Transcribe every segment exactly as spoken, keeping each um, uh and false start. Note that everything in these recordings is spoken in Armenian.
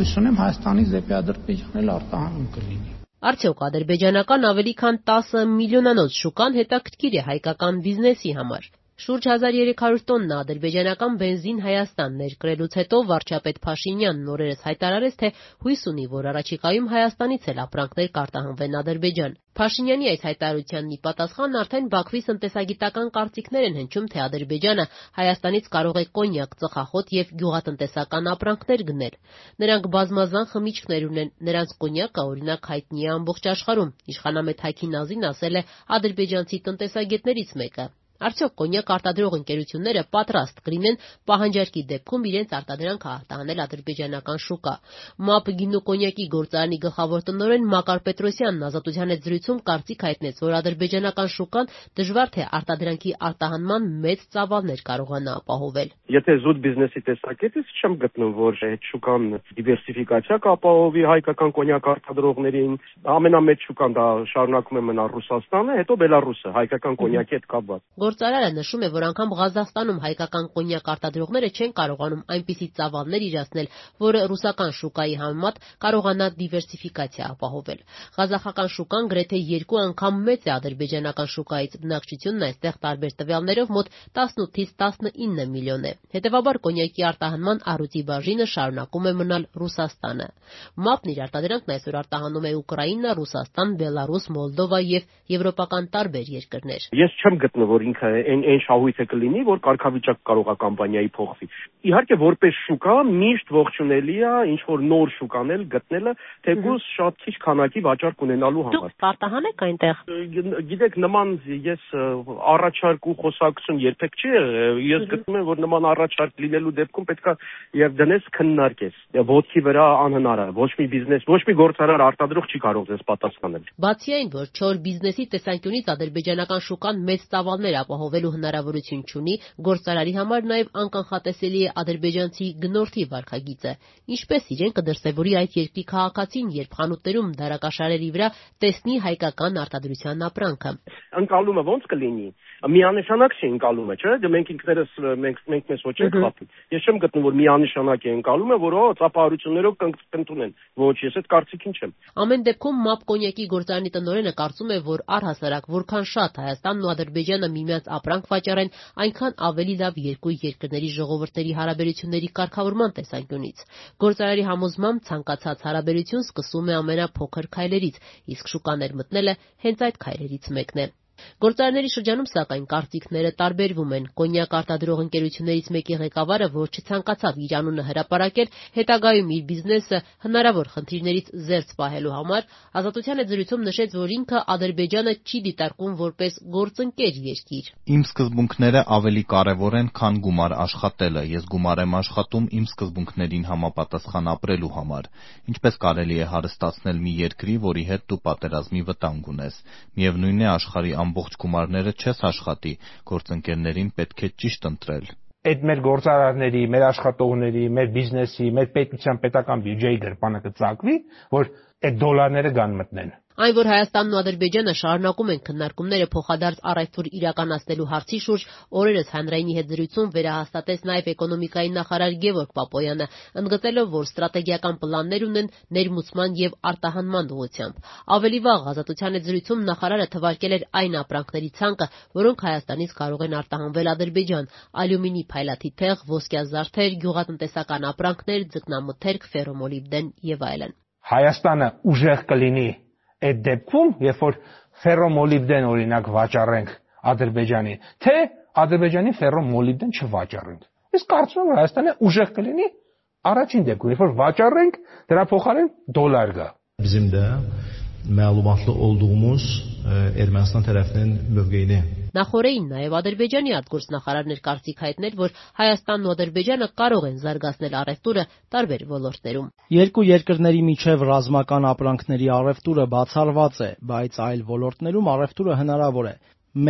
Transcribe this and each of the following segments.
Հույս ունեմ Հայաստանից դեպի Ադրբեջան էլ արտահանում կլինի։ Արդյոք ադրբեջանական ավելի քան տասը միլիոնանոց շուկան հետաքրքիր է հայկական բիզնեսի համար։ Շուրջ հազար երեք հարյուր տոննա ադրբեջանական բենզին Հայաստան ներկրելուց հետո վարչապետ Փաշինյանն օրերս հայտարարեց, թե հույս ունի, որ առաջիկայում Հայաստանից էլ ապրանքներ կարտահանվեն Ադրբեջան։ Փաշինյանի այս հայտարարությանն ի պատասխան արդեն Բաքվի տնտեսագիտական կարծիքներ են հնչում, թե Ադրբեջանը Հայաստանից կարող է կոնյակ, ծխախոտ եւ գյուղատնտեսական ապրանքներ գնել։ Նրանք բազմազան խմիչքներ ունեն, նրանց կոնյակը օրինակ հայտնի է ամբողջ աշխարհում։ Իշխանամետ Հակի Նազին ասել է ադրբեջանցի տնտեսագետներից մեկը։ Արդյոք կոնյակ արտադրող ընկերությունները պատրաստ կլինեն պահանջարկի դեպքում իրենց արտադրանքը արտահանել ադրբեջանական շուկա։ ՄԱՊ գինու կոնյակի գործարանի գլխավոր տնօրեն Մակար Պետրոսյանն Ազատության հետ զրույցում կարծիք հայտնեց, որ ադրբեջանական շուկան դժվար թե արտադրանքի արտահանման մեծ ծավալներ կարողանա ապահովել։ Եթե զուտ բիզնեսի տեսակետից չեմ գտնում, որ այդ շուկան դիվերսիֆիկացիա կապահովի հայկական կոնյակ արտադրողներին, ամենամեծ շուկան դա շարունակում է մնալ Ռուսաստանը, հետո Բելարուսը հայկական կոնյակի հետ կապված։ Գործարարը նշում է, որ անգամ Ղազախստանում հայկական կոնյակ արտադրողները չեն կարողանում այնպիսի ծավալներ իրացնել, որը ռուսական շուկայի համեմատ կարողանա դիվերսիֆիկացիա ապահովել։ Ղազախական շուկան գրեթե երկու անգամ մեծ է ադրբեջանական շուկայից, բնակչությունն այստեղ տարբեր տվյալներով մոտ տասնութից տասնինը միլիոն է։ Հետևաբար կոնյակի արտահանման առյուծի բաժինը շարունակում է մնալ Ռուսաստանը։ ՄԱՊ-ն իր արտադրանքն այսօր արտահանում է Ուկրաինա, Ռուսաստան, Բելարուս, Մոլդովա եւ եվրոպական տարբեր երկրներ։ Ես չեմ գտնում, որ ինքը այն այն շահույթը կլինի, որ կարգավիճակ կարող է կամպանիայի փոխվի։ Իհարկե, որպես շուկա միշտ ողջունելի է ինչ որ նոր շուկանել գտնելը, թեկուզ շատ քիչ քանակի վաճառք ունենալու համար։ Դուք արտահանեք այնտեղ։ Գիտեք, նման ես առաջարկ ու խոսակցություն երբեք չի եղել։ Ես գտնում եմ, որ նման առաջարկ լինելու դեպքում պետքա եւ դնես քննարկես։ Ոտքի վրա անհնար է։ Ոչ մի բիզնես, ոչ մի գործարար արտադրող չի կարող դες պատասխանել։ Բացի այն, որ չոր բիզնեսի տեսանկյունից ադրբեջանական շուկան մեծ ծավալներ ապահովելու հնարավորություն չունի, գործարարի համար նաև անկանխատեսելի է ադրբեջանցի գնորդի վարքագիծը։ Ինչպես իրեն կդրսևորի այդ երկրի քաղաքացին, երբ խանութներում դարակաշարերի վրա տեսնի հայկական արտադրության ապրանքը։ Ընկալումը ո՞նց կլինի։ Միանշանակ չի ընկալումը, չէ՞։ Դե մենք ինքներս մենք մենք մեզ ոչ ենք խփի։ Ես չեմ գտնում, որ միանշանակ է ընկալումը, որ օ ծափահարություններով կընդունեն։ Ոչ, ես այդ կարծիքին չեմ։ Ամեն դեպքում ՄԱՊ կոնյակի գործարանի տնօրենը կարծում է, որ առհասարակ որքան շատ Հայաստանն ու Ադրբեջանը միմյանց ապրանք վաճառեն, այնքան ավելի լավ երկու երկրների ժողովուրդների հարաբերությունների կարգավորման տեսանկյունից։ Գործարարի համոզմամբ ցանկացած հարաբերություն սկսում է ամենափոքր քայլերից, իսկ շուկաներ մտնելը հենց այդ քայլերից մեկն է։ Գործարարների շրջանում սակայն կարծիքները տարբերվում են։ Կոնյակ արտադրող ընկերություններից մեկի ղեկավարը, որ չցանկացավ իր անունը հրապարակել, հետագայում իր բիզնեսը հնարավոր խնդիրներից զերծ պահելու համար Ազատության հետ զրույցում նշեց, որ ինքը Ադրբեջանը չի դիտարկում որպես գործընկեր երկիր։ Իմ սկզբունքները ավելի կարևոր են, քան գումար աշխատելը։ Ես գումար եմ աշխատում իմ սկզբունքներին համապատասխան ապրելու համար։ Ինչպես կարելի է հարստացնել մի երկրի, որի հետ դու պատերազմի վտանգ ունես։ Միևնույն է, աշխարհի ամբողջ գումարները չես աշխատի, գործընկերներին պետք է ճիշտ ընտրել։ Այդ մեր գործարարների, մեր աշխատողների, մեր բիզնեսի, մեր պետության պետական բյուջեի գրպանը կծակվի, որ այդ դոլարները գան մտնեն։ Այն, որ Հայաստանն ու Ադրբեջանը շարունակում են քննարկումները փոխադարձ առևտուր իրականացնելու հարցի շուրջ, օրերս հանրայինի հետ զրույցում վերահաստատեց նաև էկոնոմիկայի նախարար Գևորգ Պապոյանը, ընդգծելով, որ ստրատեգիական պլաններ ունեն ներմուծման եւ արտահանման ուղղությամբ։ Ավելի վաղ Ազատության հետ զրույցում նախարարը թվարկել էր այն ապրանքների ցանկը, որոնք Հայաստանից կարող են արտահանվել Ադրբեջան՝ ալյումինի փայլաթիթեղ, ոսկյազարդեր, գյուղատնտեսական ապրանքներ, ձկնամթերք, ֆերոմոլիբդեն եւ այլն։ Հայաստանը ուժեղ կլինի այդ դեպքում, երբ որ ֆերոմոլիբդեն օրինակ վաճառենք Ադրբեջանին, թե Ադրբեջանի ֆերոմոլիբդեն չվաճառենք։ Ես կարծում եմ, որ Հայաստանը ուժեղ կլինի առաջին դեպքում, երբ որ վաճառենք, դրա փոխարեն դոլար գա։ Bizim de məlumatlı olduğumuz Ermənistan tərəfinin mövqeyini Նախորդին նաև Ադրբեջանի արտգործնախարարներ կարծիք հայտնել, որ Հայաստանն ու Ադրբեջանը կարող են զարգացնել առևտուրը տարբեր ոլորտներում։ Երկու երկրների միջև ռազմական ապրանքների առևտուրը բացառված է, բայց այլ ոլորտներում առևտուրը հնարավոր է։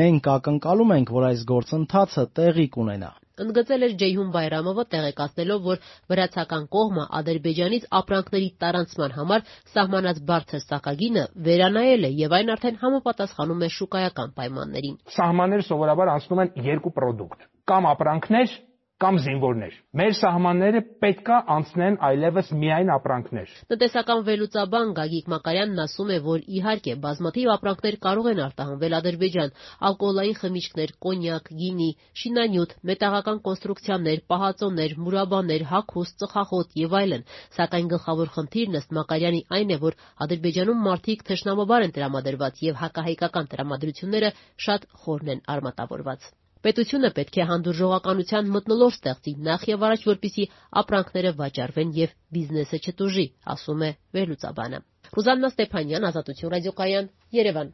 Մենք ակնկալում ենք, որ այս գործընթացը տեղի կունենա։ Ընդգծել էր Ջեյհուն Բայրամովը, տեղեկացնելով, որ վրացական կողմը Ադրբեջանից ապրանքների տարանցման համար սահմանած բարձր սակագինը վերանայել է եւ այն արդեն համապատասխանում է շուկայական պայմաններին։ Սահմանները սովորաբար անցնում են երկու պրոդուկտ՝ կամ ապրանքներ, կամ զինվորներ։ Մեր սահմանները պետքա անցնեն այլևս միայն ապրանքներ։ Տնտեսական վերլուծաբան Գագիկ Մակարյանն ասում է, որ իհարկե բազմաթիվ ապրանքներ կարող են արտահանվել Ադրբեջան՝ ալկոհոլային խմիչքներ, կոնյակ, գինի, շինանյութ, մետաղական կոնստրուկցիաներ, պահածոներ, մուրաբաներ, հագուստ, ծխախոտ եւ այլն, սակայն գլխավոր խնդիրն ըստ Մակարյանի այն է, որ Ադրբեջանում մարդիկ թշնամաբար են տրամադրված եւ հակահայկական տրամադրությունները շատ խորն են արմատավորված։ Պետությունը պետք է հանդուրժողականության մթնոլորտ ստեղծի նախ եւ առաջ, որպեսզի ապրանքները վաճառվեն եւ բիզնեսը չտուժի, ասում է վերլուծաբանը։ Ռուզաննա Ստեփանյան, Ազատություն ռադիոկայան, Երևան։